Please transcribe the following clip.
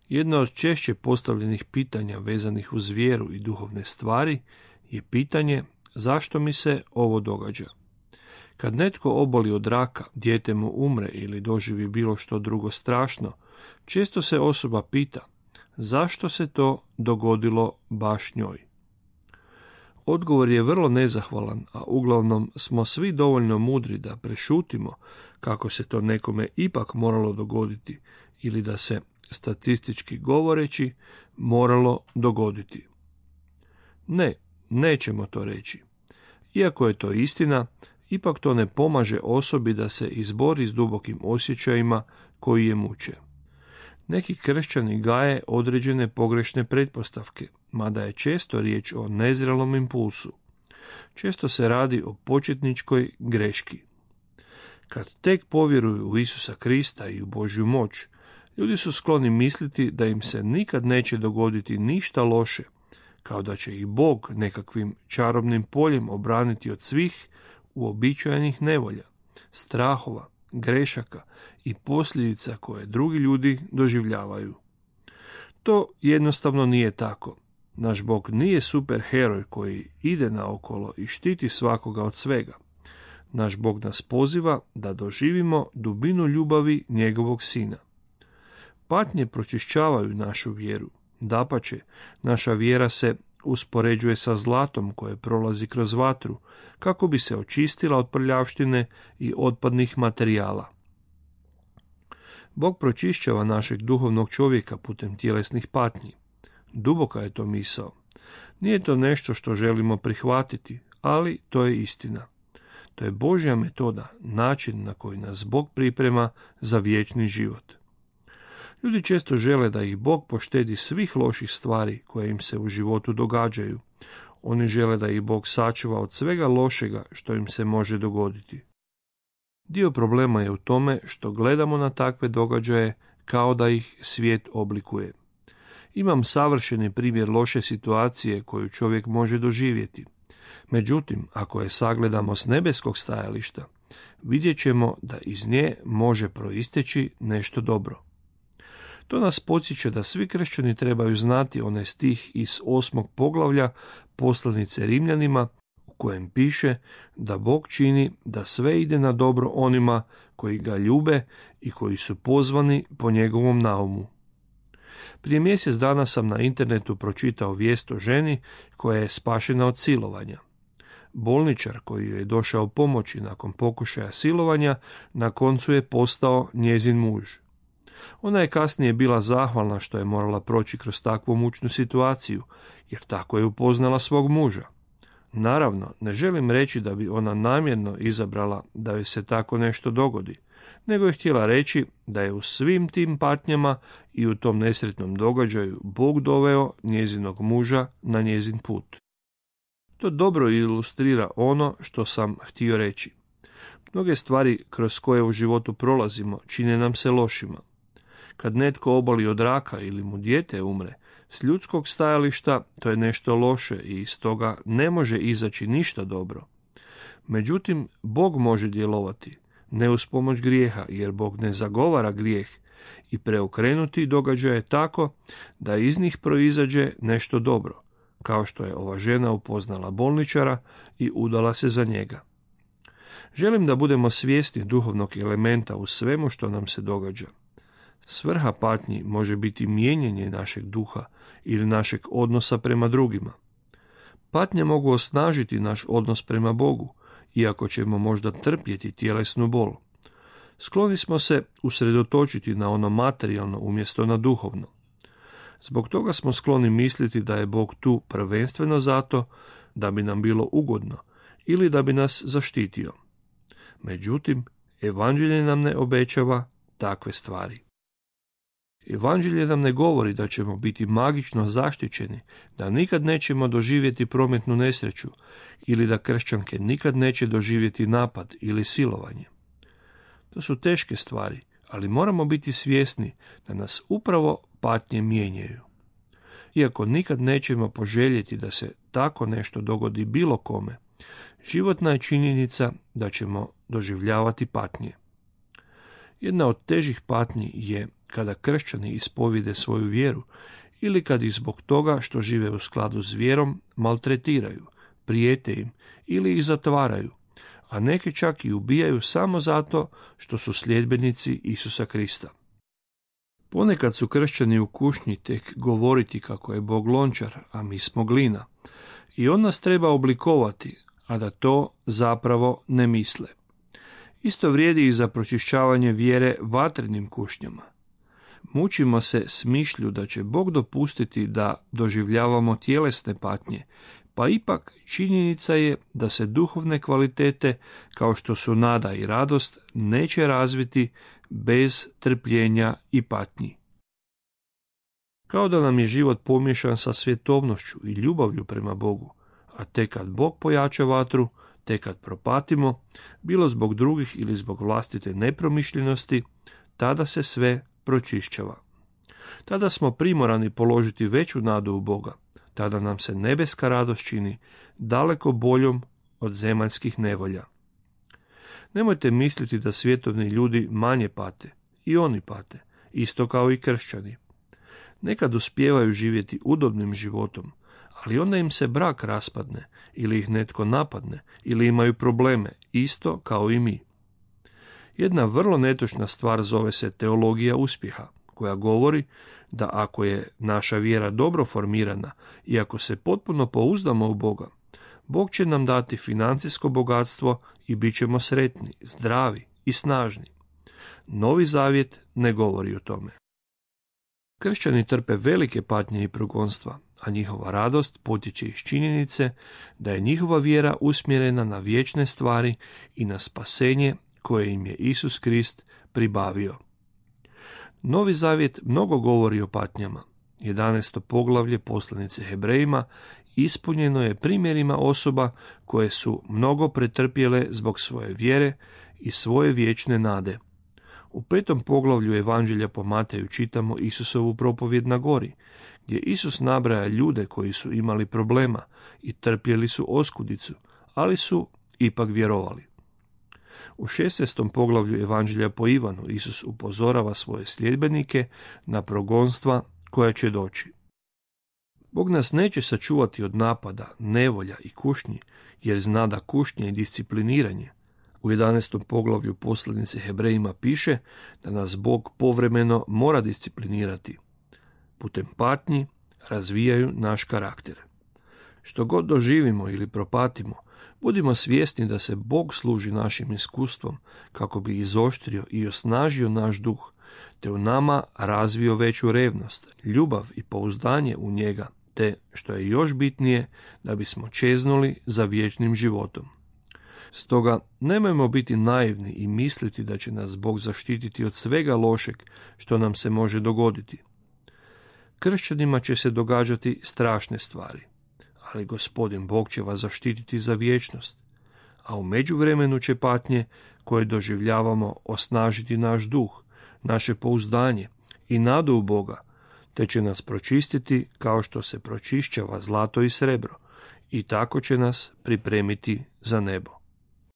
Jedna od češće postavljenih pitanja vezanih uz vjeru i duhovne stvari je pitanje zašto mi se ovo događa. Kad netko oboli od raka, dijete mu umre ili doživi bilo što drugo strašno, često se osoba pita zašto se to dogodilo baš njoj. Odgovor je vrlo nezahvalan, a uglavnom smo svi dovoljno mudri da prešutimo kako se to nekome ipak moralo dogoditi ili da se, statistički govoreći, moralo dogoditi. Ne, nećemo to reći. Iako je to istina, ipak to ne pomaže osobi da se izbori s dubokim osjećajima koji je muče. Neki kršćani gaje određene pogrešne pretpostavke, mada je često riječ o nezrelom impulsu. Često se radi o početničkoj greški. Kad tek povjeruju u Isusa Krista i u Božju moć, ljudi su skloni misliti da im se nikad neće dogoditi ništa loše, kao da će ih Bog nekakvim čarobnim poljem obraniti od svih uobičajenih nevolja, strahova, grešaka i posljedica koje drugi ljudi doživljavaju. To jednostavno nije tako. Naš Bog nije superheroj koji ide naokolo i štiti svakoga od svega. Naš Bog nas poziva da doživimo dubinu ljubavi njegovog sina. Patnje pročišćavaju našu vjeru. Dapače, naša vjera se uspoređuje sa zlatom koje prolazi kroz vatru, kako bi se očistila od prljavštine i otpadnih materijala. Bog pročišćava našeg duhovnog čovjeka putem tjelesnih patnji. Duboka je to misao. Nije to nešto što želimo prihvatiti, ali to je istina. To je Božja metoda, način na koji nas Bog priprema za vječni život. Ljudi često žele da ih Bog poštedi svih loših stvari koje im se u životu događaju. Oni žele da ih Bog sačuva od svega lošega što im se može dogoditi. Dio problema je u tome što gledamo na takve događaje kao da ih svijet oblikuje. Imam savršeni primjer loše situacije koju čovjek može doživjeti. Međutim, ako je sagledamo s nebeskog stajališta, vidjet ćemo da iz nje može proisteći nešto dobro. To nas podsjeća da svi kršćani trebaju znati onaj stih iz 8. poglavlja poslanice Rimljanima, u kojem piše da Bog čini da sve ide na dobro onima koji ga ljube i koji su pozvani po njegovom naumu. Prije mjesec dana sam na internetu pročitao vijest o ženi koja je spašena od silovanja. Bolničar koji joj je došao pomoći nakon pokušaja silovanja, na koncu je postao njezin muž. Ona je kasnije bila zahvalna što je morala proći kroz takvu mučnu situaciju, jer tako je upoznala svog muža. Naravno, ne želim reći da bi ona namjerno izabrala da joj se tako nešto dogodi, nego je htjela reći da je u svim tim patnjama i u tom nesretnom događaju Bog doveo njezinog muža na njezin put. To dobro ilustrira ono što sam htio reći. Mnoge stvari kroz koje u životu prolazimo čine nam se lošima. Kad netko oboli od raka ili mu dijete umre, s ljudskog stajališta to je nešto loše i iz toga ne može izaći ništa dobro. Međutim, Bog može djelovati, ne uz pomoć grijeha, jer Bog ne zagovara grijeh, i preokrenuti događaje tako da iz njih proizađe nešto dobro, kao što je ova žena upoznala bolničara i udala se za njega. Želim da budemo svjesni duhovnog elementa u svemu što nam se događa. Svrha patnji može biti mijenjanje našeg duha ili našeg odnosa prema drugima. Patnje mogu osnažiti naš odnos prema Bogu, iako ćemo možda trpjeti tjelesnu bol. Skloni smo se usredotočiti na ono materijalno umjesto na duhovno. Zbog toga smo skloni misliti da je Bog tu prvenstveno zato da bi nam bilo ugodno ili da bi nas zaštitio. Međutim, evanđelje nam ne obećava takve stvari. Evanđelje nam ne govori da ćemo biti magično zaštićeni, da nikad nećemo doživjeti prometnu nesreću ili da kršćanke nikad neće doživjeti napad ili silovanje. To su teške stvari, ali moramo biti svjesni da nas upravo patnje mijenjaju. Iako nikad nećemo poželjeti da se tako nešto dogodi bilo kome, životna je činjenica da ćemo doživljavati patnje. Jedna od težih patnji je kada kršćani ispovide svoju vjeru ili kad ih zbog toga što žive u skladu s vjerom maltretiraju, prijete im ili ih zatvaraju, a neki čak i ubijaju samo zato što su sljedbenici Isusa Krista. Ponekad su kršćani u kušnji tek govoriti kako je Bog lončar, a mi smo glina, i on nas treba oblikovati, a da to zapravo ne misle. Isto vrijedi i za pročišćavanje vjere vatrenim kušnjama. Mučimo se s mišlju da će Bog dopustiti da doživljavamo tjelesne patnje, pa ipak činjenica je da se duhovne kvalitete, kao što su nada i radost, neće razviti bez trpljenja i patnji. Kao da nam je život pomiješan sa svjetovnošću i ljubavlju prema Bogu, a tek kad Bog pojača vatru, tek kad propatimo, bilo zbog drugih ili zbog vlastite nepromišljenosti, tada se sve pročišćava. Tada smo primorani položiti veću nadu u Boga, tada nam se nebeska radost čini daleko boljom od zemaljskih nevolja. Nemojte misliti da svjetovni ljudi manje pate, i oni pate, isto kao i kršćani. Nekad uspijevaju živjeti udobnim životom, ali onda im se brak raspadne, ili ih netko napadne, ili imaju probleme, isto kao i mi. Jedna vrlo netočna stvar zove se teologija uspjeha, koja govori da ako je naša vjera dobro formirana i ako se potpuno pouzdamo u Boga, Bog će nam dati financijsko bogatstvo i bit ćemo sretni, zdravi i snažni. Novi Zavjet ne govori o tome. Kršćani trpe velike patnje i progonstva, a njihova radost potječe iz činjenice da je njihova vjera usmjerena na vječne stvari i na spasenje koje im je Isus Krist pribavio. Novi Zavjet mnogo govori o patnjama. 11. poglavlje poslanice Hebrejima ispunjeno je primjerima osoba koje su mnogo pretrpjele zbog svoje vjere i svoje vječne nade. U 5. poglavlju Evanđelja po Mateju čitamo Isusovu propovjed na gori, gdje Isus nabraja ljude koji su imali problema i trpjeli su oskudicu, ali su ipak vjerovali. U 16. poglavlju Evanđelja po Ivanu Isus upozorava svoje sljedbenike na progonstva koja će doći. Bog nas neće sačuvati od napada, nevolja i kušnji, jer zna da kušnje i discipliniranje. U 11. poglavlju poslanice Hebrejima piše da nas Bog povremeno mora disciplinirati. Putem patnji razvijaju naš karakter. Što god doživimo ili propatimo, budimo svjesni da se Bog služi našim iskustvom kako bi izoštrio i osnažio naš duh, te u nama razvio veću revnost, ljubav i pouzdanje u njega, te, što je još bitnije, da bismo čeznuli za vječnim životom. Stoga nemojmo biti naivni i misliti da će nas Bog zaštititi od svega lošeg što nam se može dogoditi. Kršćanima će se događati strašne stvari, ali Gospodin Bog će vas zaštititi za vječnost, a u međuvremenu će patnje koje doživljavamo osnažiti naš duh, naše pouzdanje i nadu u Boga, te će nas pročistiti kao što se pročišćava zlato i srebro, i tako će nas pripremiti za nebo.